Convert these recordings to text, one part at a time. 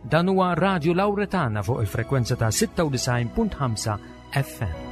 Dan huwa Radio Lauretana fuq il-frekwenza ta' 96.5 FM.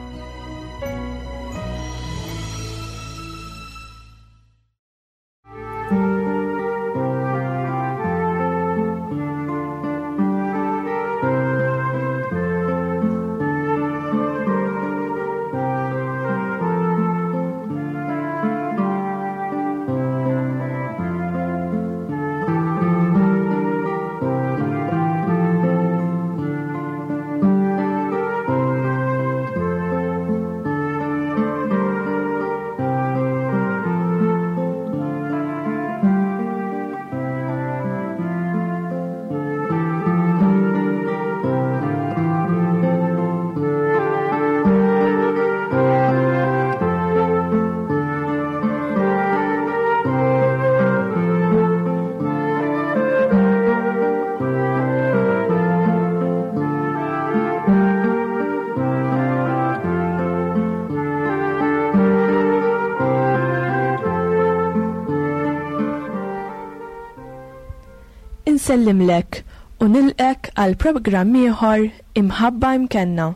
Insellimlek u nilqek għal programm ieħor Imħabba Imkenna.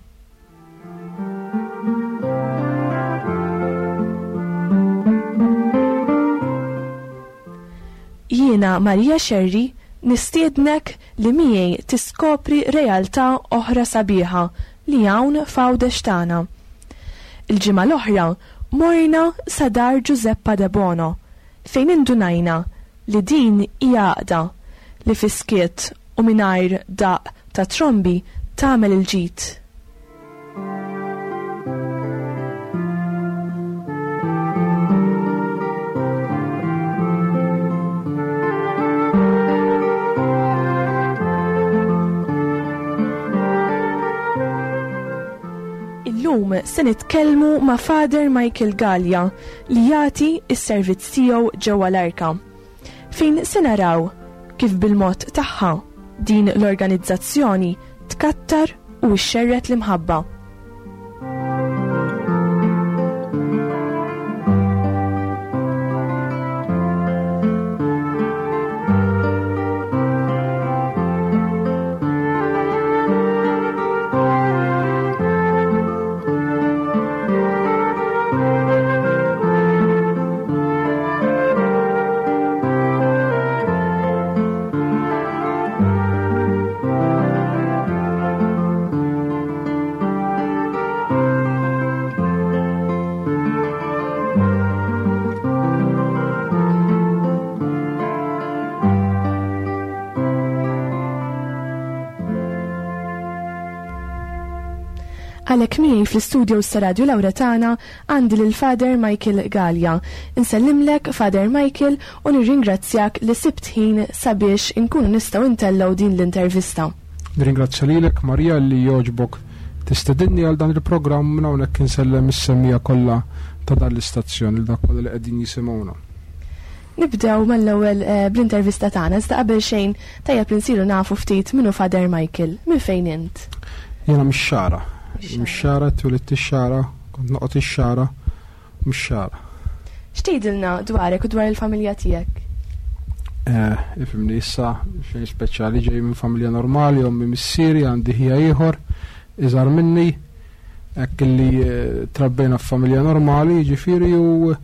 Jiena Maria Scerri nistiednek li miegħi tiskopri realtà oħra sabiħa li hawn f'Għawdex tagħna. Il-ġimgħa l-oħra morna sa dar Giuseppa Debono fejn indunajna li din hija għaqda li fis-skiet u mingħajr daqq ta' trombi tagħmel il-ġid. Illum se nitkellmu ma' Father Michael Galea li jagħti s-servizz tiegħu ġewwa l-Arka, fejn se naraw kif bil-mod tagħha din l-organizzazzjoni tkattar u xxerred l-imħabba. Għalhekk miegħi fl-istudio ta' Radio Lauretana għandi lil Father Michael Galea. Insellimlek Father Michael u nirringrazzjak li sibt ħin sabiex inkunu nistgħu ntellgħu din l-intervista. Nirringrazzja lilek Maria li jogħġbok tistedinni għal dan il-programm minn hawnhekk insellem is-semmiegħa kollha ta' dan l-istazzjon lil dak kollha li qegħdin jisimgħuna. Nibdew mal-ewwel bl-intervista tagħna, iżda qabel xejn tajjeb li nsiru nafu ftit minnu Father Michael. Minn fejn int? Jiena mix-Xagħra. Mix-Xagħra, twilidt ix-Xagħra, kont noqgħod ix-Xagħra, mix-Xagħra. X'tgħidilna dwarek u dwar il-familja tiegħek? Ifhimni issa xejn speċjali, ġej minn familja normali, ommi missieri, għandi ħija ieħor iżgħar minni. Hekk illi trabbejna f'familja normali, jiġifieri, u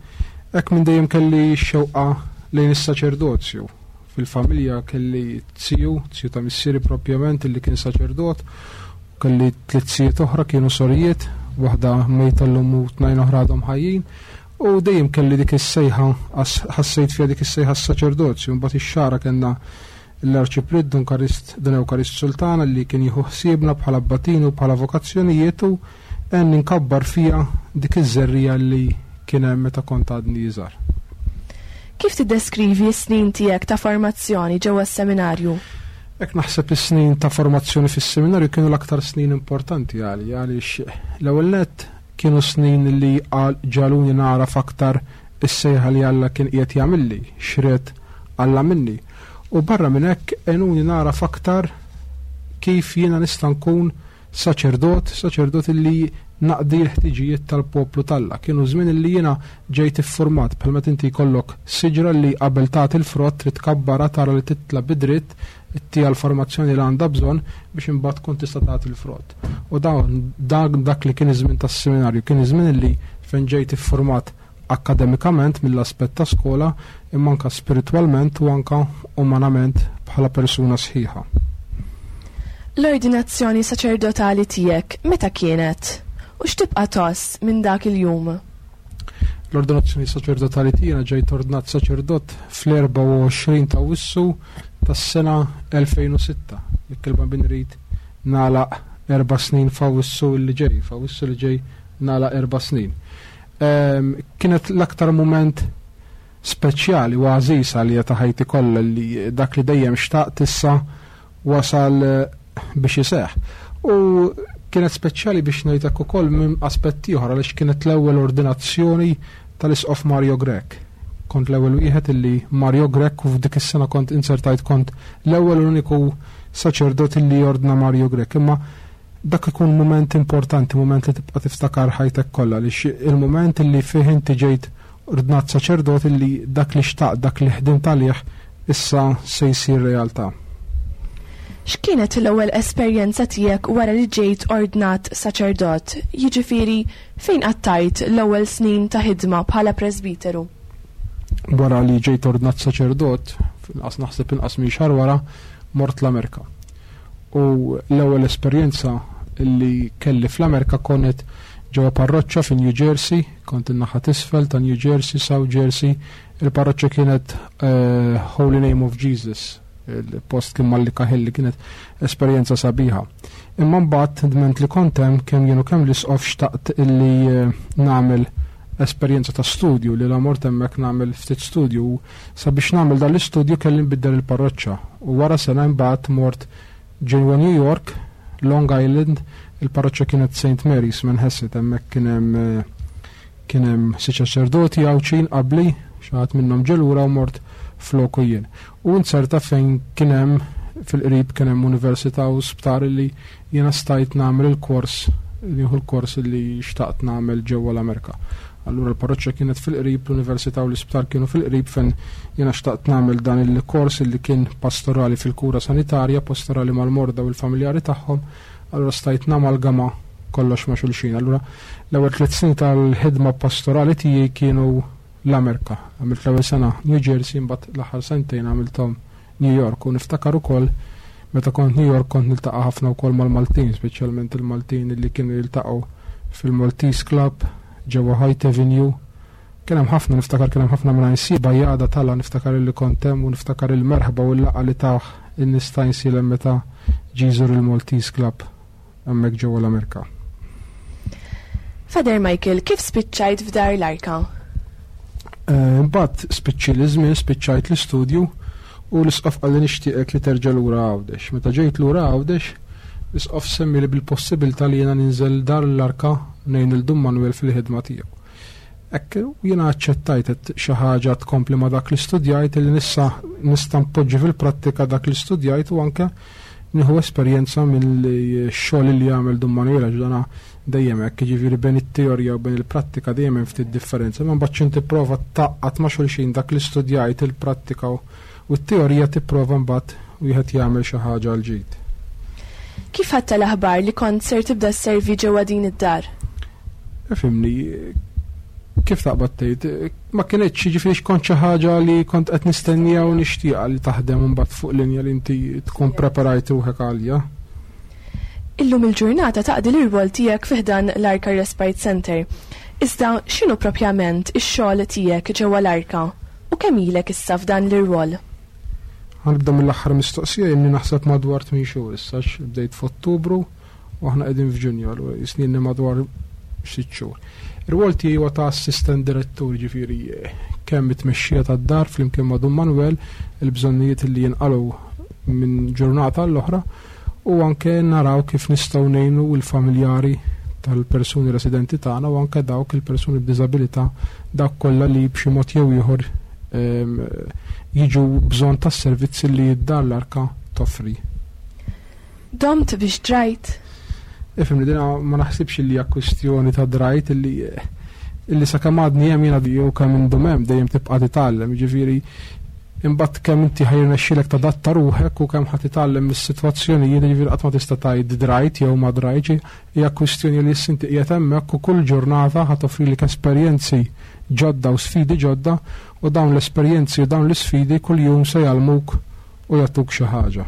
hekk minn dejjem kelli x-xewqa lejn is-saċerdozju. Fil-familja kelli ziju, ziju ta' missieri propjament, illi kien saċerdot, u kelli tliet zijiet oħra kienu sorijiet, waħda mejta llum u tnejn oħra għadhom ħajjin, u dejjem kelli dik is-sejħa, ħassejt fiha dik is-sejħa s-saċerdozju. Mbagħad ix-xagħra kellna l-Arċipriet Dun Karist, Dun Ewkarist Sultana li kien jieħu ħsiebna bħala abbatini u bħala vokazzjonijiet u għenni nkabbar fija dik iż-żerriegħa li kien hemm meta kont għadni iżgħar. Kif tiddeskrivi s-snin tiegħek ta' formazzjoni ġewwa s-seminarju? Hekk naħseb is-snin ta' formazzjoni fis-seminarju kienu l-aktar snin importanti għalija għaliex l-ewwel nett kienu snin li ġagħluni nagħraf aktar is-sejħa li Alla kien qiegħed jagħmilli, x'ried Alla minni. U barra minn hekk għenuni nagħraf aktar kif jiena nista' nkun saċerdot, saċerdot li naqdi l-ħtiġijiet tal-poplu t'Alla. Kienu żmien li jiena ġejt iffurmat bħal meta inti jkollok siġra li qabel tagħti l-frott trid tkabbarha, tara li titla' bi dritt, ittiha l-formazzjoni li għandha bżonn biex imbagħad tkun tista' tagħti l-frott. U dawn dak li kien iż-żmien tas-seminarju, kien iż-żmien li fejn ġejt iffurmat akkademikament mill-aspett ta' skola, imma anke spiritwalment u anke umanament bħala persuna sħiħa. L-ordinazzjoni saċerdotali tiegħek meta kienet? U x'tibqa' tgħożż minn dak il-jum? L-ordinazzjoni saċerdotali tiegħi ġejt ordnat saċerdot fl-24 ta' Awwissu tas-sena 2006. Jekk il-Bambin irid nagħlaq erba' snin f'Awwissu li ġej, f'Awwissu li ġej nagħlaq erba' snin. Kienet l-aktar mument speċjali u għażiż għalija ta' ħajti kollha li dak li dejjem xtaqt issa wasal biex iseħħ. U kienet speċjali biex ngħid hekk ukoll minn aspett ieħor għaliex kienet l-ewwel ordinazzjoni tal-Isqof Mario Grech. Kont l-ewwel wieħed illi Mario Grech u f'dik is-sena kont inzertajt kont l-ewwel u l-uniku saċerdot illi ordna Mario Grech. Imma dak ikun mument importanti, mument li tibqa' tiftakar ħajtek kollha għaliex il-mument illi fih inti ġejt ordnat saċerdot illi dak li xtaqt, dak li ħdimt għalih issa se jsir realtà. X'kienet l-ewwel esperjenza tiegħek wara li ġejt ordnat saċerdot? Jiġifieri fejn qattajt l-ewwel snin ta' ħidma bħala presbiteru? Wara li ġejt ordnat saċerdot, inqas naħseb inqas minn xahar wara, mort l-Amerika. U l-ewwel esperjenza li kelli fl-Amerika konet ġewwa parroċċa fi New Jersey, kont in-naħa t'isfel ta' New Jersey, South Jersey. Il-parroċċa kienet Holy Name of Jesus, il-post kien Mallika Hill, li kienet esperjenza sabiħa. Imma mbagħad dment li kont hemm kemm jien u kemm l-isqof xtaqt illi nagħmel esperjenza ta' studju, li la mort hemmhekk nagħmel ftit studju. Sabiex nagħmel dan l-istudju kelli nbiddel il-parroċċa. U wara sena imbagħad mort ġewwa New York, Long Island, il-parroċċa kienet Saint Mary's Manhasset, hemmhekk kien hemm kien hemm xi saċerdoti Għawdxin qabli, xi ħadd minnhom ġie lura u mort floku jien. U nzerta fejn kien hemm fil-qrib kien hemm università u sptar li jiena stajt nagħmel il-kors, nieħu l-kors li xtaqt nagħmel ġewwa l-Amerika. Allura l-parroċċa kienet fil-qrib, l-università u l-isptar kienu fil-qrib fejn jiena xtaqt nagħmel dan il-kors li kien pastorali fil-kura sanitarja, pastorali mal-morda u l-familjari tagħhom. Allura stajt namalgama kollox ma' xulxin. Allura l-ewwel 3 snin tal-ħidma pastorali tiegħi kienu l-Amerika. Għamilt l-ewwel sena New Jersey, imbagħad l-aħħar sentejn għamilthom New York. U niftakar ukoll meta kont New York kont niltaqa' ħafna wkoll mal-Maltin, speċjalment il-Maltin li kienu jiltaqgħu fil-Maltese Club ġewwa Hoyt Avenue. Kien hemm ħafna, niftakar kien hemm ħafna minn Għajnsielem, Bajjada tala, niftakar illi kont hemm u niftakar il-merħba u l-laqgħa li tawh in-nies ta' Għajnsielem meta ġie jżur il-Maltese Club hemmhekk ġewwa l-Amerika. Father Michael, kif spiċċajt f'Dar l-Arka? Imbagħad spiċċi l-żmien, spiċċajt l-istudju u l-isqof qalli nixtieqek li terġa' lura Għawdex. Meta ġejt lura Għawdex, l-isqof semmili bil-possibilità li jiena ninżel Dar l-Arka ngħin lil Dun Manuel fil-ħidma tiegħu. Hekk jiena aċċettajt qed xi ħaġa tkompli ma' dak li studjajt li nissa nista' npoġġi fil-prattika dak li studjajt u anke nieħu esperjenza mill-xogħol li jagħmel Dun Manuel għax dana dejjem hekk, jiġifieri bejn it-teorija u bejn il-prattika dejjem hemm ftit differenza, imma mbagħad x'int tipprova tgħaqqad ma' xulxin dak li studjajt, il-prattika u t-teorija tipprova mbagħad wieħed jagħmel xi ħaġa għal ġid. Kif ħadtha l-aħbar li kont ser tibda sservi ġewwa din id-dar? Ifhimni, kif taqbad tgħid, ma kinitx, jiġifieri x'kont xi ħaġa li kont qed nistennija u nixtieqha li taħdem imbagħad fuq linja li inti tkun preparajt ruħek għalija. Illum il-ġurnata taqdi l-irwol tiegħek fi ħdan l-Arka Respite Center. Iżda x'inhu propjament ix-xogħol tiegħek ġewwa l-Arka u kemm ilek issa f'dan l-irwol? Ħa nibda mill-aħħar mistoqsija, inni naħseb madwar 8 xhur issa, għax bdejt f'Ottubru u aħna qegħdin f'Ġunju, allura jisni madwar 6 xhur. Ir-rwol tiegħi huwa ta' assistent direttur, ġifieri kemm it-tmexxija tad-dar flimkien ma' Dun Manuel, il-bżonnijiet li jinqalgħu minn ġurnata għall-oħra, u anke naraw kif nistgħu ngħinu l-familjari tal-persuni residenti tagħna u anke dawk il-persuni b'diżabilità, dawk kollha li b'xi mod jew ieħor jiġu bżonn tas-servizzi li d-dar l-Arka toffri. Domt biex drajt? Ifhimni, dina ma naħsibx li hija kwistjoni ta' drajt illi illi sakemm għadni hemm jiena jew kemm indum hemm dejjem tibqa' titgħallem, jiġifieri imbagħad kemm inti ħa jirnexxielek tadatta ruħek u kemm ħa titgħallem mis-sitwazzjonijiet, jiġifieri qatt ma tista' tgħid drajt jew ma drajtx, hija kwistjoni li issa inti qiegħed hemmhekk u kull ġurnata ħa toffrilek esperjenzi ġodda u sfidi ġodda u dawn l-esperjenzi u dawn l-isfidi kuljum se jgħallmuk u jagħtuk xi ħaġa.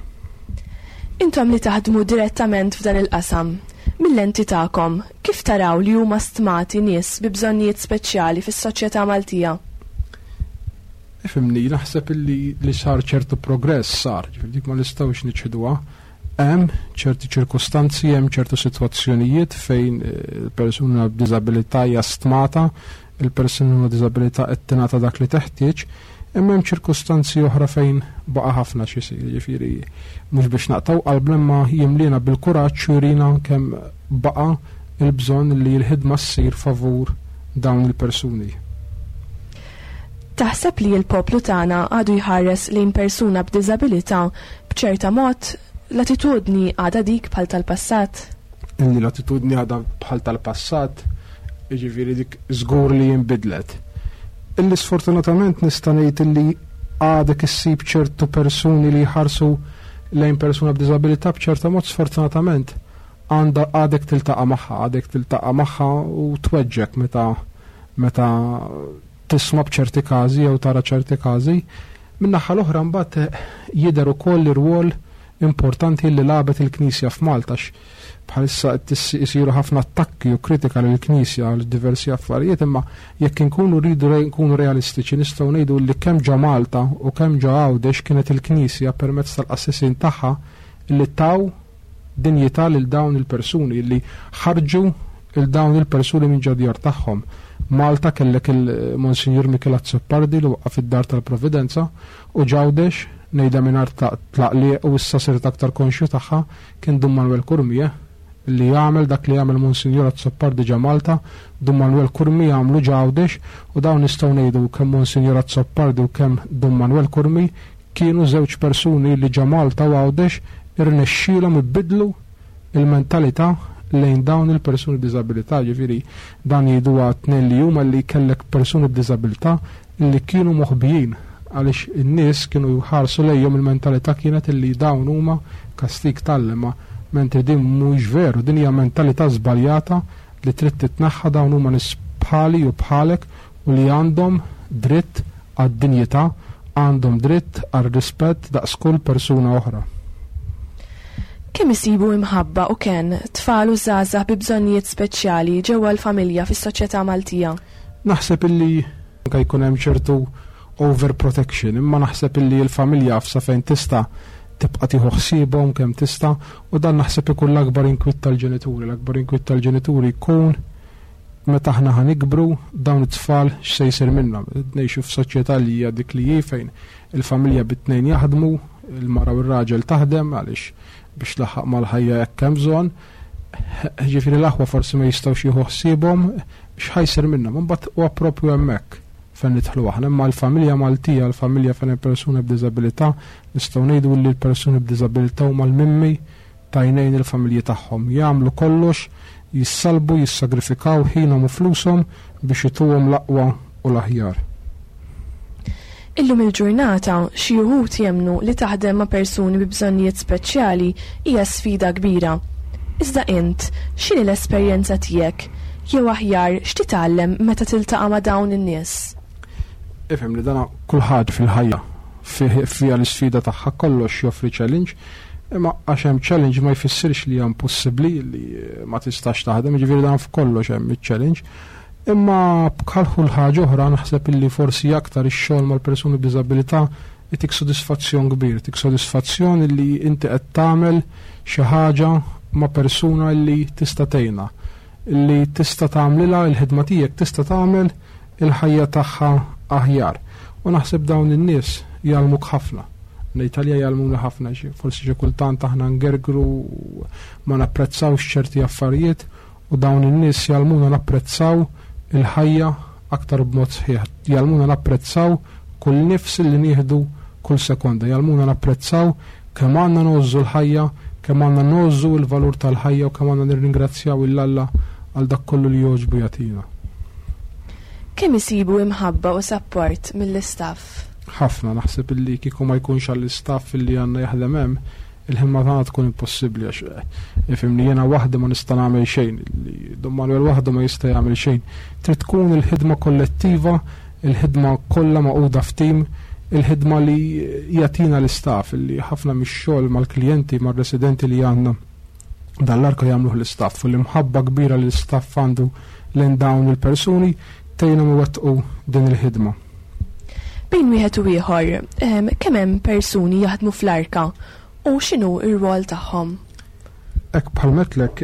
Intom li taħdmu direttament f'dan il-qasam, mil-lenti tagħkom, kif taraw li huma stmati nies bi bżonnijiet speċjali fis-soċjetà Maltija? Ifhimni, naħseb illi li sar ċertu progress sar, ġifieri dik ma nistgħux niċħduha. Hemm ċerti ċirkustanzi, hemm ċertu sitwazzjonijiet fejn il-persuna b'diżabilità hija stmata, il-persuna b'diżabilità qed tingħata dak li teħtieġ, imma hemm ċirkustanzi oħra fejn baqa' ħafna x'isir, jiġifieri mhux biex naqtgħu qalbna imma jimliena bil-kuraġġ u jurina kemm baqa' l-bżonn li l-ħidma ssir favur dawn il-persuni. Taħseb li l-poplu tagħna għadu jħares lejn persuna b'diżabilità b'ċerta mod? L-attitudni għadha dik bħal tal-passat? Illi l-attitudni għadha bħal tal-passat, jiġifieri dik żgur li inbidlet. Illi sfortunatament nista' ngħid illi għadek issib ċertu persuni li jħarsu lejn persuna b'diżabilità b'ċerta mod sfortunatament għandha għadek tiltaqa' magħha, għadek tiltaqa' magħha u tweġġek meta meta tisma' b'ċerti każi jew tara ċerti każi. Min-naħa l-oħra mbagħad jidher ukoll ir-rwol importanti li lagħbet il-Knisja f'Malta għax bħalissa qed isiru ħafna attakki u kritika lill-Knisja għal diversi affarijiet imma jekk inkunu rridu nkunu realistiċi nistgħu ngħidu li kemm ġo Malta u kemm ġo Għawdex kienet il-Knisja permezz tal-qassisin tagħha li taw dinjità lil dawn il-persuni li ħarġu 'l dawn il-persuni minn ġo djar tagħhom. Malta kellek il-Monsinjur Mikiel Azzopardi li waqqaf id-Dar tal-Providenza u ġ'Għawdex, ngħidha mingħajr tlaqliq u issa sirt aktar konxju tagħha, kien Dun Manuel Curmi li għamel dak li għamel Monsinjur Azzopardi ġa Malta, Dun Manuel Curmi għamlu ġ'Għawdex u dawn nistgħu ngħidu kemm Monsinjur Azzopardi u kemm Dun Manuel Curmi kienu żewġ persuni li ġa Malta u Għawdex irnexxielhom ibiddlu il-mentalità lejn dawn il-persuni b'diżabilità, jiġifieri dan jgħiduha t-tnejn li huma li kellek persuni b'diżabilità li kienu moħbijin għaliex in-nies kienu jħarsu lejhom il-mentalità kienet li dawn huma kastig t'Alla imma mentri din mhuwiex veru, din hija mentalità żbaljata li trid titneħħa dawn huma nies bħali u bħalek u li għandhom dritt għad-dinjità, għandhom dritt għar-rispett daqs kull persuna oħra. Kemm isibu imħabba u kenn tfal u żgħażagħ bi bżonnijiet speċjali ġewwa l-familja fis-soċjetà Maltija? Naħseb illi anke jkun hemm ċertu overprotection, imma naħseb illi l-familja sa fejn tista' tibqa' tieħu ħsiebhom kemm tista' u dan naħseb ikun l-akbar inkwiet tal-ġenituri. L-akbar inkwiet tal-ġenituri jkun Meta aħna ħa nikbru, dawn it-tfal x'se jsir minnhom? Ngħixu f'soċjetà li hija dik li hi fejn il-familja bit-tnejn jaħdmu, il-mara u r-raġel taħdem għaliex biex tlaħħaq mal-ħajja hekk hemm bżonn. Ġifieri l-aħwa forsi ma jistgħux jieħu ħsiebhom, x'ħa jsir minnhom? Imbagħad huwa proprju hemmhekk fejn nidħlu aħna. Imma l-familja Maltija, l-familja fejn hemm persuna b'diżabilità, nistgħu ngħidu li l-persuni b'diżabilità huma l-mimmi t'għajnejn il-familji tagħhom. Jagħmlu kollox, jissallbu, jissagrifikaw ħinhom u flushom biex ituhom l-aqwa u l-aħjar. Illum il-ġurnata, xi uħud jemmnu li taħdem ma' persuni bi bżonnijiet speċjali hija sfida kbira. Iżda int, x'inhi l-esperjenza tiegħek? Jew aħjar, x'titgħallem meta tiltaqa' ma' dawn in-nies? Ifhem li dana kull ħaġa fil-ħajja fiha l-isfida tagħha, kollox joffri challenge. Imma għax hemm challenge ma jfissirx li hija impossibbli li ma tistax taħdem, jiġifieri dan f'kollox hemm iċ-challenge. Imma bħal kull ħaġa oħra naħseb illi forsi aktar ix-xogħol mal-persuni b'diżabilità itik sodisfazzjon kbir, itik sodisfazzjon li inti qed tagħmel xi ħaġa ma' persuna li tista' tgħinha, li tista' tagħmlilha l-ħidma tiegħek tista' tagħmel il-ħajja tagħha aħjar. U naħseb dawn in-nies jgħallmuk ħafna. L-Italja jgħallmuna ħafna, forsi xi kultant aħna ngergru ma napprezzawx ċerti affarijiet u dawn in-nies jgħallmuna napprezzaw il-ħajja aktar b'mod sħiħ. Jgħallmuna napprezzaw kull nifs li nieħdu kull sekonda. Jgħallmuna napprezzaw kemm għandna ngħożżu l-ħajja, Kemm għandna ngħożżu l-valur tal-ħajja u kemm għandna nirringrazzjaw 'l Alla għal dak kollu li jogħġbu jagħtina. Kemm isibu imħabba u sapport mill-istaff? Ħafna, naħseb illi kieku ma jkunx għall-istaff illi għandna jaħdem hemm, il-ħidma tagħna tkun impossibbli għax eh, ifhimni jiena waħdi ma nista' nagħmel xejn, li Don Manuel waħdu ma jista' jagħmel xejn. Trid tkun il-ħidma kollettiva, il-ħidma kollha magħquda f'tim, il-ħidma li jagħtina l-istaff, li ħafna mix-xogħol mal-klijenti, mar-residenti li għandna dan l-arka jagħmluh l-istaff u l-imħabba kbira li l-istaff għandu lejn dawn il-persuni tgħinhom iwettqu din il-ħidma. Bejn wieħed u ieħor, kemm hemm persuni jaħdmu fl-arka u x'inhu r-rwol tagħhom? Hekk bħal metlek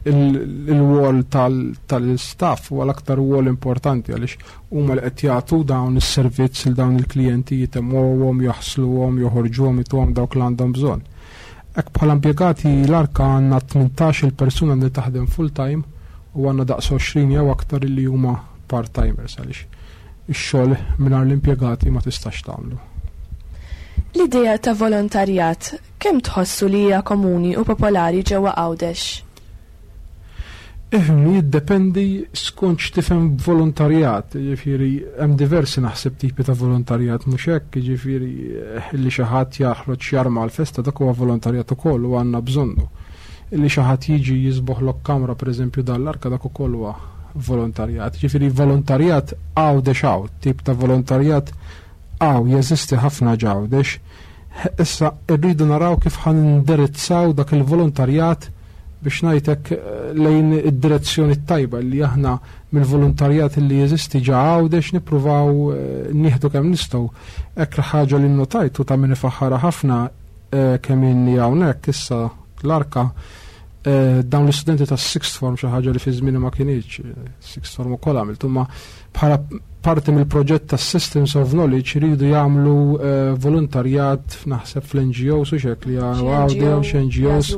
il-wol tal-istaff huwa l-aktar wol importanti għaliex huma li qed jagħtu dawn is-servizz lil dawn il-klijenti jitemgħuhom, jaħsluhom, joħorġuhom, ituhom dawk li għandhom bżonn. Hekk bħala impjegati l-Arka għandna 18-il persuna li taħdem full-time u għandna daqs 20 jew aktar li huma part-timers għaliex ix-xogħol mingħajr l-impjegati ma tistax tagħmlu. L-idea ta' volontarjat kemm tħossu li hija komuni u popolari ġewwa Għawdex? Ifhimni, jiddependi skont x'tifhem b'volontarjat, jiġifieri hemm diversi naħseb tipi ta' volontarjat mhux hekk, jiġifieri li xi ħadd jaħroġ jarma għall-festa dak huwa volontarjat ukoll u għandna bżonnu. Li xi ħadd jiġi jiżboħlok kamra pereżempju dan l-arka dak ukoll huwa volontarjat. Jiġifieri volontarjat Għawdex hawn, tip ta' volontarjat hawn jeżisti ħafna ġ'Għawdex. Issa rridu naraw kif ħa nindirizzaw dak il-volontarjat biex ngħid hekk lejn id-direzzjoni t-tajba li aħna mill-volontarjat li jeżisti ġa Għawdex nippruvaw eh, nieħdu kemm nistgħu. Hekk ħaġa li nnotajt u ta' min ifaħħarha ħafna eh, kemm inni hawnhekk issa l-arka eh, dawn l-istudenti tas sixth form xi ħaġa li fi żmieni ma kinitx, sixth form ukoll għamilt, imma bħala parti mill-proġett tas Systems of Knowledge iridu jagħmlu eh, volontarjat naħseb fl-NGOs u xek li għawdew x'NGOs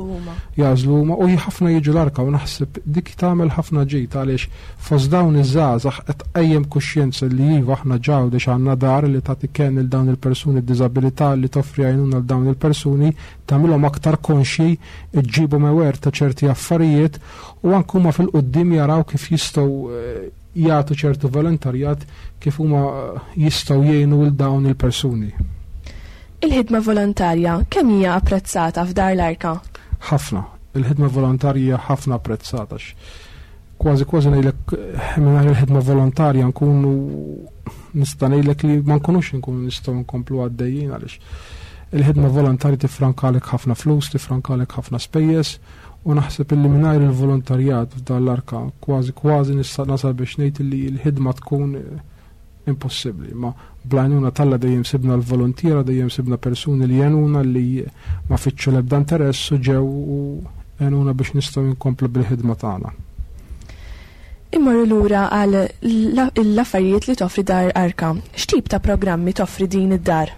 jażlu huma u ħafna jiġu l-arka u naħseb dik tagħmel ħafna ġid għaliex fost dawn iż-żgħażagħ qed tqajjem kuxjenza li iva aħna ġawdex għandna dar li tagħti kenn lil dawn il-persuni b'diżabilità li toffri għajnuna l dawn il-persuni tagħmilhom aktar konxji ġġibhom aware ta' ċerti affarijiet u anke huma fil-quddiem jaraw kif jistgħu eh, jagħtu ċertu volontarjat kif huma jistgħu jgħinu lil dawn il-persuni. Il-ħidma volontarja kemm hija apprezzata f'Dar l-Arka? Ħafna. Il-ħidma volontarja hija ħafna apprezzata. Kważi kważi ngħidlek mingħajr il-ħidma volontarja nkunu nista' ngħidlek li ma nkunux nkunu nistgħu nkomplu għaddejjin għaliex il-ħidma volontarja tifrankalek ħafna flus, tifrankalek ħafna spejjeż U naħseb illi mingħajr il-volontarjat f'dan l-arka kważi kważi nista' nasal biex ngħid illi l-ħidma tkun eh, impossibbli. Ma bl-għajnuna t'Alla dejjem sibna l-volontiera, dejjem sibna persuni li għenuna li ma fittxu l-ebda interess u ġew u għenuna biex nistgħu nkomplu bil-ħidma tagħna. Immorru lura għal l-affarijiet li toffri Dar Arka. X'tip ta' programmi toffri din id-dar?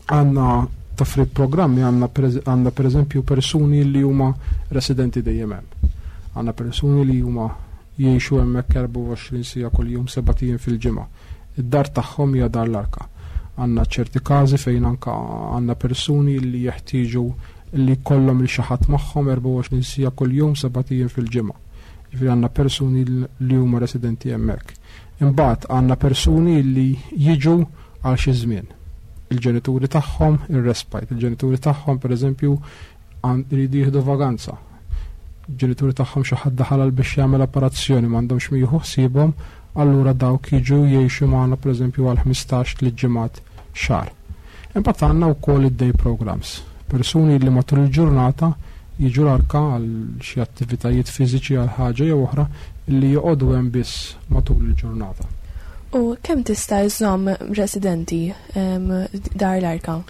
Għandna toffri programmi għandna pereżempju persuni li huma residenti dejjem hemm. Għandna persuni li huma jgħixu hemmhekk 24 siegħa kuljum sebat ijiem fil-ġimgħa. Id-dar tagħhom hija Dar l-Arka. Għandna ċerti każi fejn anka għandna persuni li jeħtieġu li jkollhom lil xi ħadd magħhom 24 siegħa kuljum sebat ijiem fil-ġimgħa. Jiġifieri għandna persuni li huma residenti hemmhekk. Imbagħad għandna persuni li jiġu għal xi żmien. Il-ġenituri tagħhom ir-respite, il-ġenituri tagħhom pereżempju jridu jieħdu vaganza. Il-ġenituri tagħhom xi ħadd daħal għal biex jagħmel operazzjoni m'għandhomx min jieħu ħsiebhom, allura dawk jiġu jgħixu magħna pereżempju għal 15 tliet ġimgħat xahar. Imbagħad għandna wkoll id-day programs, persuni li matul il-ġurnata jiġu l-arka għal xi attivitajiet fiżiċi għal ħaġa jew oħra li joqogħdu hemm biss matul il-ġurnata. U kemm tista' iżżomm residenti Dar l-Arka?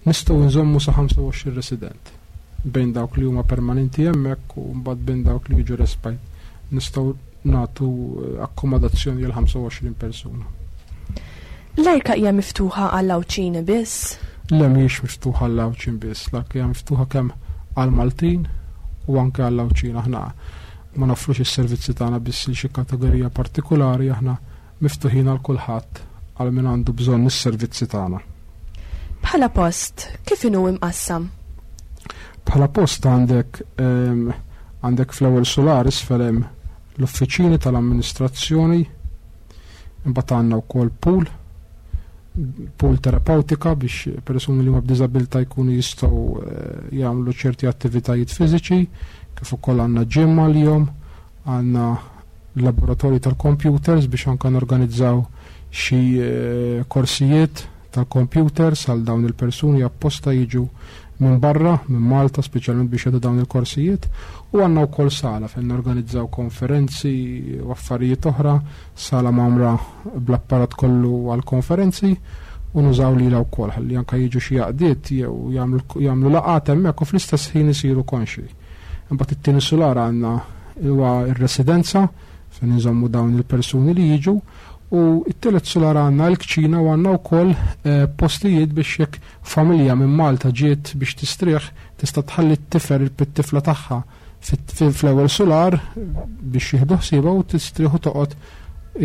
Nistgħu nżommu sa 25 resident bejn dawk li huma permanenti hemmhekk u mbagħad bejn dawk li jiġu respite. Nistgħu nagħtu eh, akkomodazzjoni għal 25 persuna. L-Arka hija miftuħa għall-Għawdxin biss? Le mhijiex miftuħa għall-Għawdxin biss, l-Arka hija miftuħa kemm għall-Maltin u anke għall-Għawdxin. Aħna ma noffrux is-servizzi tagħna biss lil xi kategorija partikulari, aħna miftuħin għal kulħadd għal min għandu bżonn is-servizzi tagħna. Bħala post, kif inhu imqassam? Bħala post għandek għandek fl-ewwel sular isfel hemm l-uffiċini tal-amministrazzjoni, imbagħad għandna wkoll pool, pool terapeutika biex persuni li huma b'diżabilità jkunu jistgħu jagħmlu ċerti attivitajiet fiżiċi, kif ukoll għandna gym għalihom, għandna laboratorji tal-computers biex anke norganizzaw xi korsijiet tal-computers għal dawn il-persuni apposta jiġu minn barra, minn Malta, speċjalment biex jagħtu dawn il-korsijiet, u għandna wkoll sala fejn norganizzaw konferenzi u affarijiet oħra, sala mgħammra bl-apparat kollu għall-konferenzi, u nużaw lilha wkoll ħalli anke jiġu xi għaqdiet jew jagħmlu laqgħat hemmhekk u fl-istess ħin isiru konxi. Imbagħad it-tieni sular għandna huwa r-residenza fejn inżommu dawn il-persuni li jiġu, u t-tielet sular għandna l-kċina u għandna wkoll postijiet biex jekk familja minn Malta ġiet biex tistrieħ tista' tħalli t-tifel it-tifla tagħha fl-ewwel sular biex jieħdu ħsiebha u tistrieħ u toqgħod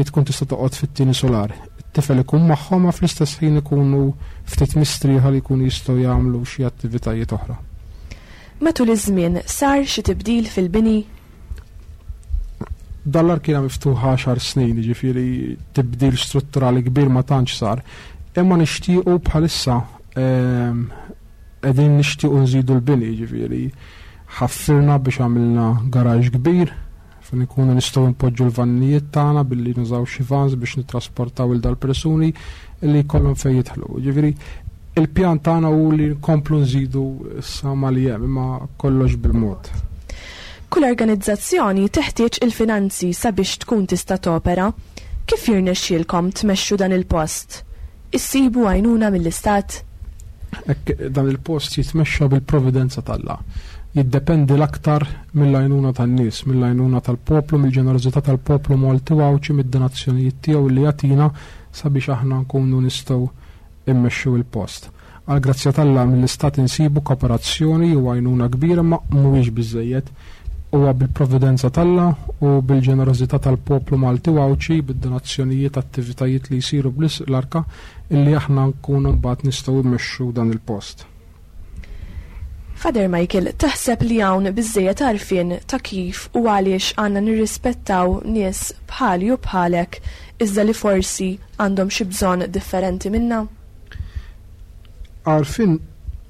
tkun tista' toqgħod fit-tieni sular. It-tifel ikun magħhom ma fl-istess ħin ikunu ftit mistrieħa li jkunu jistgħu jagħmlu xi attivitajiet oħra. Matul iż-żmien sar xi tibdil fil-bini? Dan l-ark kien miftuħ 10 snin, jiġifieri tibdil strutturali kbir ma tantx sar. Imma nixtiequ bħalissa qegħdin nixtiequ nżidu l-bini, jiġifieri ħaffirna biex għamilna garaġ kbir fejn ikunu nistgħu npoġġu l-vannijiet tagħna billi nużaw xi vans biex nittrasportaw il dal-persuni li jkollhom fejn jidħlu. Jiġifieri il-pjan tagħna hu li nkomplu nżidu issa ma li hemm, imma kollox bil-mod. Kull organizzazzjoni teħtieġ il-finanzi sabiex tkun tista' topera. Kif jirnexxielkom tmexxu dan il-post? Issibu għajnuna mill-Istat? Hekk dan il-post jitmexxa bil-providenza t'Alla. Jiddependi l-aktar mill-għajnuna tan-nies, mill-għajnuna tal-poplu, mill-ġenerożità tal-poplu Malti u Għawdxi, mid-donazzjonijiet tiegħu li jagħtina sabiex aħna nkunu nistgħu immexxu il-post. Għal grazzja t'Alla mill-Istat insibu kooperazzjoni u għajnuna kbira, ma mhuwiex biżejjed. Huwa bil-providenza t'Alla u bil-ġenerożità tal-poplu Malti u Għawdxi, bid-donazzjonijiet, attivitajiet li jsiru bl-arka, illi aħna nkunu mbagħad nistgħu immexxu dan il-post. Father Michael, taħseb li hawn biżejjed għarfien ta' kif u għaliex għandna nirrispettaw nies bħali u bħalek iżda li forsi għandhom xi bżonn differenti minna? Għarfien,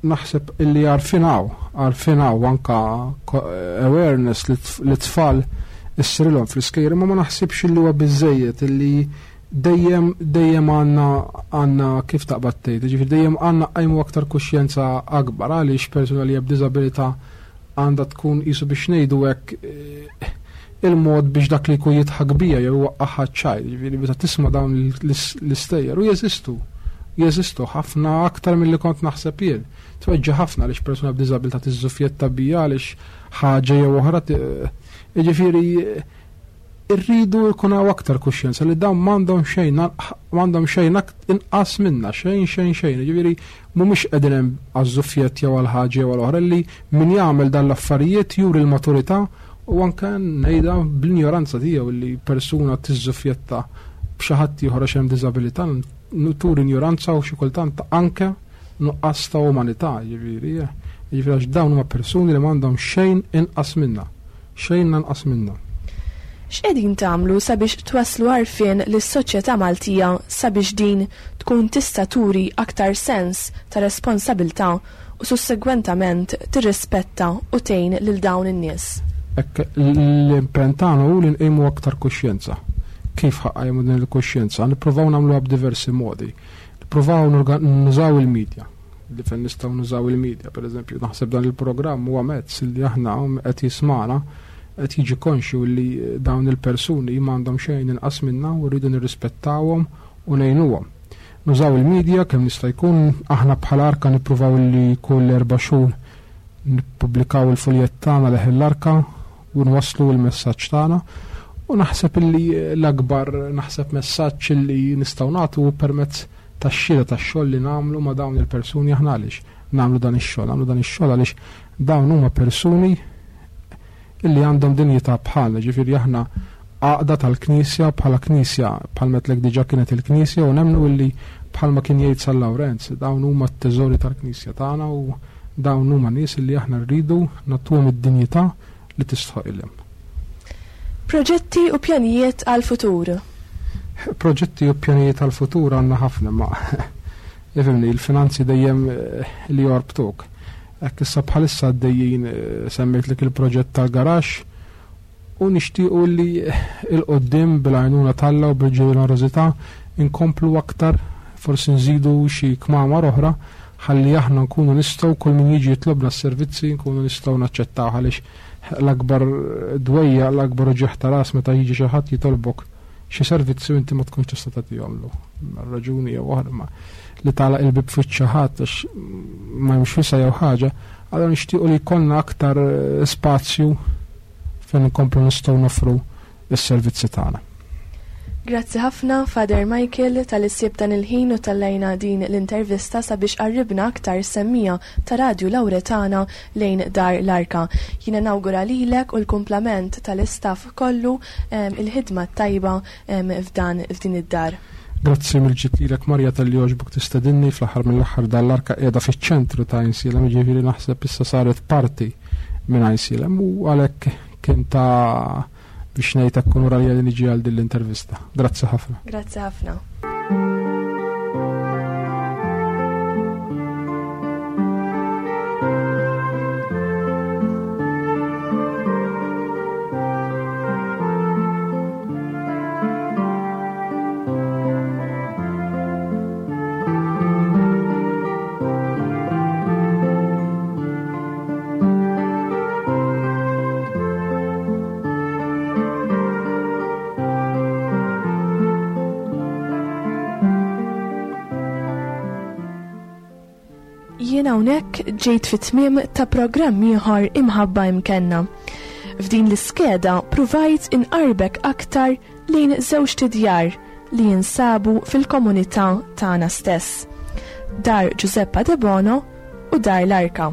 naħseb illi għarfien hawn, għarfien hawn anka awareness li tfal issirilhom fl-iskejjel, imma ma naħsibx illi huwa biżejjed illi dejjem, dejjem għandna, għandna kif taqbad tgħid, ġifieri dejjem għandna qajmu aktar kuxjenza akbar għaliex persuna li b'diżabilità għandha tkun qisu biex ngħidu hekk il-mod biex dak li jkun jidħak bija jew waqqaħħa ċajt, ġifieri meta tisma' dawn l-istejjer u jeżistu. Jeżistu ħafna aktar milli kont naħseb jien. Tweġġa' ħafna għaliex persuna b'diżabilità tiżżufjetta bija għaliex ħaġa jew oħra jiġifieri irridu jkun hawn aktar kuxjenza li dawn m'għandhom xejn, m'għandhom xejn inqas minna, xejn, xejn, xejn. Jiġifieri mhumiex qegħdin hemm għaż-żufjett jew għal ħaġa jew għal oħra li min jagħmel dan l-affarijiet juri l-maturità u anke ngħidha bl-injoranza tiegħu li persuna tiżżufjetta b'xi ħadd ieħor għax hemm diżabilità, turi injoranza u xi kultant anke nuqqas ta' umanità, jiġifieri, jiġifieri għax dawn huma persuni li m'għandhom xejn inqas minna, xejn anqas minna. X'qegħdin tagħmlu sabiex twasslu għarfien lis-soċjetà Maltija sabiex din tkun tista' turi aktar sens ta' responsabilità u sussegwentament tirrispetta u tgħin lil dawn in-nies? Hekk l-impenn tagħna hu li nqimu aktar kuxjenza. Kif ħaqqajmu din il-kuxjenza? Nippruvaw nagħmluha b'diversi modi. Nippruvaw nużaw il-medja. Li fejn nistgħu nużaw il-medja, pereżempju, naħseb dan il-programm huwa mezz li aħna qed jismana qed jiġi konxju li dawn il-persuni m'għandhom xejn inqas minna u rridu nirrispettawhom u ngħinuhom. Nużaw il-medja kemm nista' jkun, aħna bħala Arka nippruvaw li kull 4 xhur nippubblikaw il-fuljett tagħna leħen l-Arka u nwasslu l-messaġġ tagħna. U naħseb illi l-akbar naħseb messaġġ illi nistgħu nagħtu permezz tax-xhieda tax-xogħol li nagħmlu ma' dawn il-persuni. Aħna għaliex nagħmlu dan ix-xogħol? Nagħmlu dan ix-xogħol għaliex dawn huma persuni illi għandhom dinjità bħalna, ġifieri aħna għaqda tal-Knisja bħala Knisja, bħal metlek diġà kienet il-Knisja, u nemmnu illi bħalma kien jgħid San Lawrenz, dawn huma t-teżori tal-Knisja tagħna u Dawn huma nies li aħna rridu nagħtuhom id-dinjità li tistħoqilhom. Proġetti u pjanijiet għall-futur. Proġetti u pjanijiet għall-futur għandna ħafna ma ifhimni il-finanzi dejjem eh, li jorbtuk. Hekk issa bħalissa għaddejjin eh, semmejtlek il-proġett tal-garaxx u nixtiequ li 'l quddiem bil-għajnuna t'Alla u bil-ġenerożità nkomplu aktar forsi nżidu xi kmamar oħra ħalli aħna nkunu nistgħu kull min jiġi jitlobna s-servizzi nkunu nistgħu naċċettawh għaliex l-akbar dwejjaq, l-akbar uġigħ ta' ras meta jiġi xi ħadd jitolbok xi servizzi u inti ma tkunx tista' tagħtihomlu. Raġuni jew oħra ma li tagħlaq il-bib fuq xi ħadd għax ma hemmx wisa' jew ħaġa, allura nixtiequ li jkollna aktar spazju fejn inkomplu nistgħu noffru s-servizzi tagħna. Grazzi ħafna Father Michael talli ssibt dan il-ħin u tallajna din l-intervista sabiex qarribna aktar s-semmiegħa ta' Radju Lawretana lejn Dar l-Arka. Jiena nawgura lilek u l-kumplament tal-istaff kollu il-ħidma t-tajba f'dan f'din id-dar. Grazzi mill-ġid lilek Marja talli għoġbok tistedinni, fl-aħħar mill-aħħar Dar l-Arka qiegħda fiċ-ċentru ta' Għajnsielem, jiġifieri naħseb issa saret parti minn Għajnsielem u għalhekk kien ta' biex ngħid hekk unur għalija li niġi għal din l-intervista. Grazzi ħafna. Grazzi ħafna. Jien hawnhekk ġejt fit-tmiem ta' programm ieħor Imħabba Imkenna. F'din l-iskeda pruvajt inqarbek aktar lejn żewġt idjar li jinsabu fil-komunità tagħna stess, Dar Giuseppa Debono u Dar l-Arka.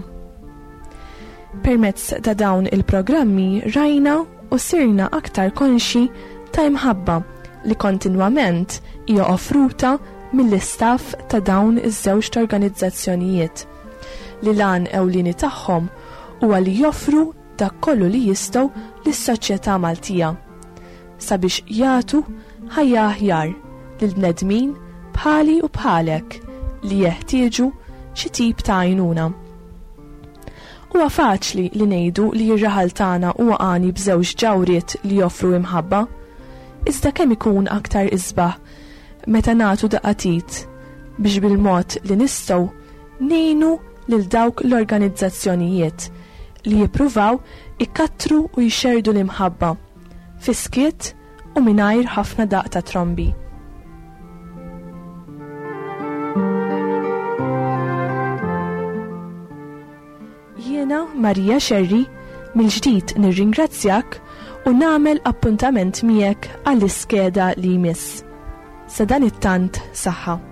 Permezz ta' dawn il-programmi rajna u sirna aktar konxji ta' imħabba li kontinwament hija offruta mill-istaff ta' dawn iż-żewġt organizzazzjonijiet, li l-għan ewlieni tagħhom huwa li joffru dak kollu li jistgħu lis-soċjetà Maltija sabiex jagħtu ħajja aħjar lil bnedmin bħali u bħalek li jeħtieġu xi tip ta' għajnuna. Huwa faċli li ngħidu li r-raħal tagħna huwa għani b'żewġ ġawhriet li joffru imħabba, iżda kemm ikun aktar isbaħ meta nagħtu daqqa t'id biex bil-mod li nistgħu ngħinu lil dawk l-organizzazzjonijiet li jippruvaw ikattru u jxerrdu l-imħabba fis-skiet u mingħajr ħafna daqq ta' trombi. Jiena Maria Scerri mill-ġdid nirringrazzjak u nagħmel appuntament miegħek għall-iskeda li jmiss. Sadanittant saħħa.